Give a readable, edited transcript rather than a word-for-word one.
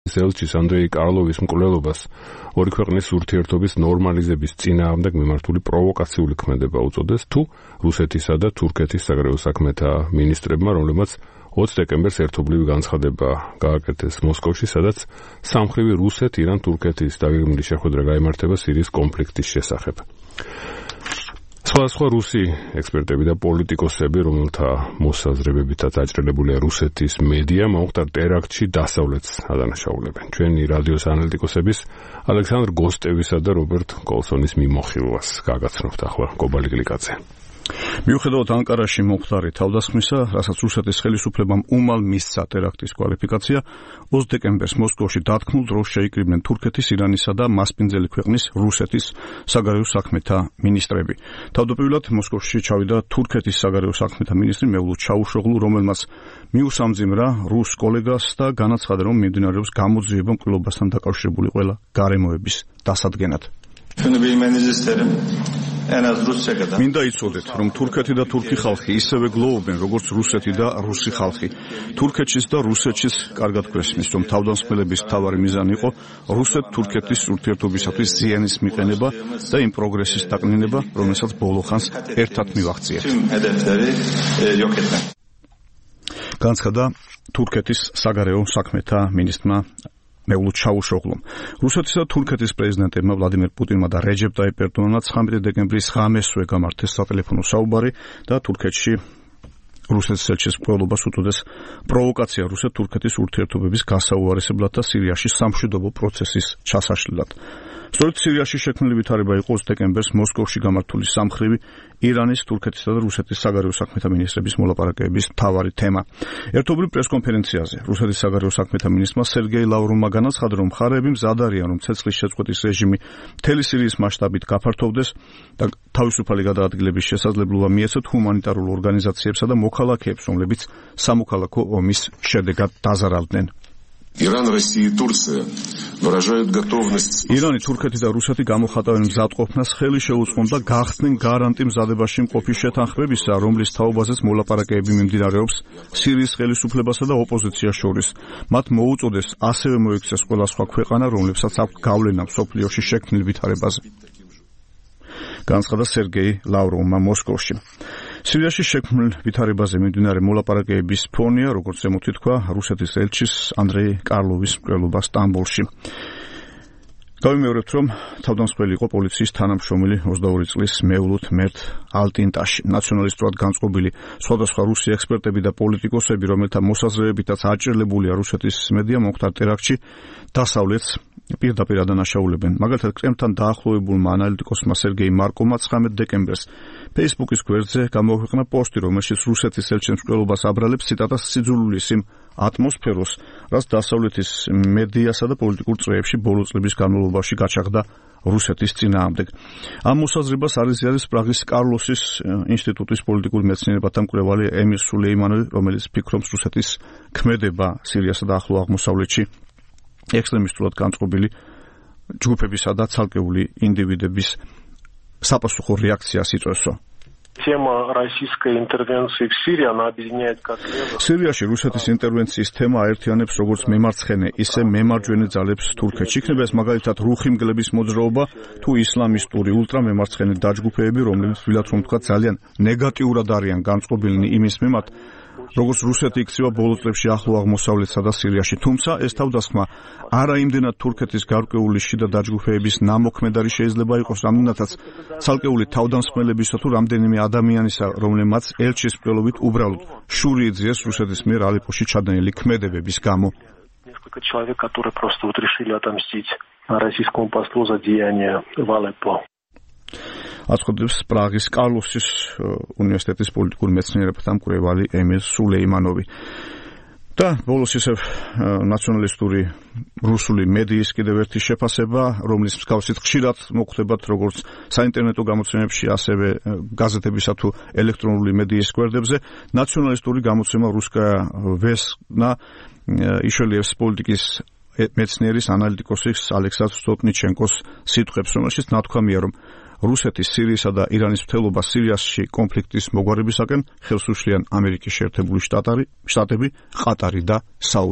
ელჩის ანდრეი კარლოვის მკვლელობას ორი ქვეყნის ურთიერთობის ნორმალიზების წინააღმდეგ მიმართული პროვოკაციული ქმედება უწოდეს, თუ რუსეთისა და თურქეთის საგარეო საქმეთა მინისტრებმა, რომლებმაც 20 დეკემბერს ერთობლივი განცხადება გააკეთეს მოსკოვში, სადაც სამხრივი რუსეთ-ირან-თურქეთის დაგეგმილი შეხვედრა გაიმართება სირიის კონფლიქტის შესახებ. სხვადასხვა რუსი ექსპერტები და პოლიტიკოსები, რომელთა მოსაზრებებითაც აჭრელებულია რუსეთის მედია, მომხდარ ტერაქტში დასავლეთს ადანაშაულებენ. ჩვენი რადიოს ანალიტიკოსების ალექსანდრ გოსტევისა და რობერტ კოლსონის მიმოხილვას გაგაცნობთ ახლა კობალი გლიკაძე. მიუხედავად ანკარაში მომხდარი თავდასხმისა, რასაც რუსეთის ხელისუფლებამ უმალ მისცა ტერაქტის კვალიფიკაცია, 20 დეკემბერს მოსკოვში დათქმულ დროს შეიკრიბნენ თურქეთის, ირანისა და მასპინძელი ქვეყნის რუსეთის საგარეო საქმეთა მინისტრები. თავდაპირველად მოსკოვში ჩავიდა თურქეთის საგარეო საქმეთა მინისტრი მევლუდ ჩაუშოღლუ, რომელმაც მიუსამძიმრა რუს კოლეგას და განაცხადა, რომ მიმდინარეობს გამოძიება მკვლელობასთან დაკავშირებული ყველა გარემოების დასადგენად. მინდა იცოდეთ, რომ თურქეთი და თურქი ხალხი ისევე გლოვობენ, როგორც რუსეთი და რუსი ხალხი. თურქეთის და რუსეთის კარგად გვესმის, რომ თავდამსხმელების მთავარი მიზანი იყო რუსეთ-თურქეთის ურთიერთობისათვის ზიანის მიყენება და იმ პროგრესის დაკნინება, რომელსაც ბოლო ხანს ერთად მივაღწიეთ. განცხადა თურქეთის საგარეო საქმეთა მინისტრმა მევლუდ ჩაუშოღლუმ. რუსეთის და თურქეთის პრეზიდენტებმა ვლადიმერ პუტინმა და რეჯეპ ტაიპ ერდოღანმა 19 დეკემბრის ღამესვე გამართეს სატელეფონო საუბარი და თურქეთში რუსეთის ელჩის მკვლელობას უწოდეს პროვოკაცია რუსეთ-თურქეთის ურთიერთობების გასაუარესებლად და სირიაში სამშვიდობო პროცესის ჩასაშლელად. სწორედ სირიაში შექმნილი ვითარება იყო 20 დეკემბერს მოსკოვში გამართული სამხრივი ირანის, თურქეთისა და რუსეთის საგარეო საქმეთა მინისტრების მოლაპარაკებების მთავარი თემა. ერთობლივ პრესკონფერენციაზე რუსეთის საგარეო საქმეთა მინისტრმა სერგეი ლავროვმა განაცხადა, რომ მხარეები მზად არიან, რომ ცეცხლის შეწყვეტის რეჟიმი მთელი სირიის მასშტაბით გაფართოვდეს და თავისუფალი გადაადგილების შესაძლებლობა მიეცათ ჰუმანიტარულ ორგანიზაციებსა და მოქალაქეებს, რომლებიც სამოქალაქო ომის შედეგად დაზარავდნენ. ირანი, თურქეთი და რუსეთი გამოხატავენ მზადყოფნას, ხელი შეუწყონ და გახსნენ გარანტი მზადებაში მყოფი შეთანხმებისა, რომლის თაობაზეც მოლაპარაკებები მიმდინარეობს სირიის ხელისუფლებასა და ოპოზიციას შორის. მათ მოუწოდეს ასევე მოიქცეს ყველა სხვა ქვეყანა, რომლებსაც აქვს გავლენა მსოფლიოში შექმნილ ვითარებაზე. განცხადა სერგეი ლავროვმა მოსკოვში. სირიაში შექმნილ ვითარებაზე მიმდინარე მოლაპარაკებების ფონია, როგორც ზემოთ ითქვა, რუსეთის ელჩის ანდრეი კარლოვის მკვლელობა სტამბოლში. გავიმეორებთ, რომ თავდამსხმელი იყო პოლიციის თანამშრომელი 22 წლის მევლუდ მერტ ალტინტაში. ნაციონალისტურად განწყობილი სხვადასხვა რუსი ექსპერტები და პოლიტიკოსები, რომელთა მოსაზრებებითაც აჭრელებულია რუსეთის მედია, მომხდარ ტერაქტში დასავლეთს პირდაპირ ადანაშაულებენ. მაგალითად, კრემლთან დაახლოებულმა ანალიტიკოსმა სერგეი მარკოვმა 19 დეკემბერს Facebook-ის გვერდზე გამოაქვეყნა პოსტი, რომელშიც რუსეთის ელჩის მკვლელობას აბრალებს ციტატას სიძულვილის იმ ატმოსფეროს, რაც დასავლეთის მედიასა და პოლიტიკურ წრეებში ბოლო წლების განმავლობაში გაჩაღდა რუსეთის წინააღმდეგ. ამ მოსაზრებას აზიარის პრაღის კარლოსის ინსტიტუტის პოლიტიკური მეცნიერებათა მკვლევარი ემილ სულეიმანოვი, რომელიც ფიქრობს რუსეთის ქმედება სირიასა და ახლო აღმოსავლეთში ექსტრემისტულად განწყობილი ჯგუფებისა და ცალკეული ინდივიდების საპასუხო რეაქციას იწვევსო. Тема российской интервенции в Сирии, она объединяет как левых. სირიაში რუსეთის ინტერვენციის თემა აერთიანებს როგორც მემარცხენე, ისე მემარჯვენე ძალებს თურქეთში. იქნება ეს მაგალითად რუხიმგლების მოძრაობა თუ ისლამისტური ულტრამემარცხენე დაჯგუფებები, რომლებიც თვლათ რომ თქვა ძალიან ნეგატიურად არიან განწყობილნი იმის მიმართ, როგორც რუსეთი იქცევა ბოლო წლებში ახლო აღმოსავლეთსა და სირიაში. თუმცა ეს თავდასხმა არა იმდენად თურქეთის გარკვეული შიდა დაჯგუფებების ნამოქმედარი შეიძლება იყოს, რამდენადაც ცალკეული თავდამსხმელებისა თუ რამდენიმე ადამიანისა, რომლებმაც ელჩის მკვლელობით უბრალოდ შური იძიეს რუსეთის მიერ ალეპოში ჩადენილი ქმედებების გამო. Несколько человек, которые просто вот решили отомстить российскому послу за деяния в Алеппо. აცხადებს პრაღის კარლოსის უნივერსიტეტის პოლიტიკური მეცნიერებათა მკვლევარი ემილ სულეიმანოვი. და ბოლოს ისევ ნაციონალისტური რუსული მედიის კიდევ ერთი შეფასება, რომლის მსგავსით ხშირად მოხვდებათ როგორც საინტერნეტო გამოცემებში, ასევე გაზეთებისა თუ ელექტრონული მედიის გვერდებზე. ნაციონალისტური გამოცემა რუსკაია ვესნა იშელიევს პოლიტიკის მეცნიერის ანალიტიკოსის ალექსანდრ სტოპნიჩენკოს სიტყვებს, რომელშიც ნათქვამია, რომ რუსეთის, სირიისა და ირანის მცდელობა სირიაში კონფლიქტის მოგვარებისაკენ ხელს უშლიან ამერიკის შეერთებული შტატები, ყატარი და საუდი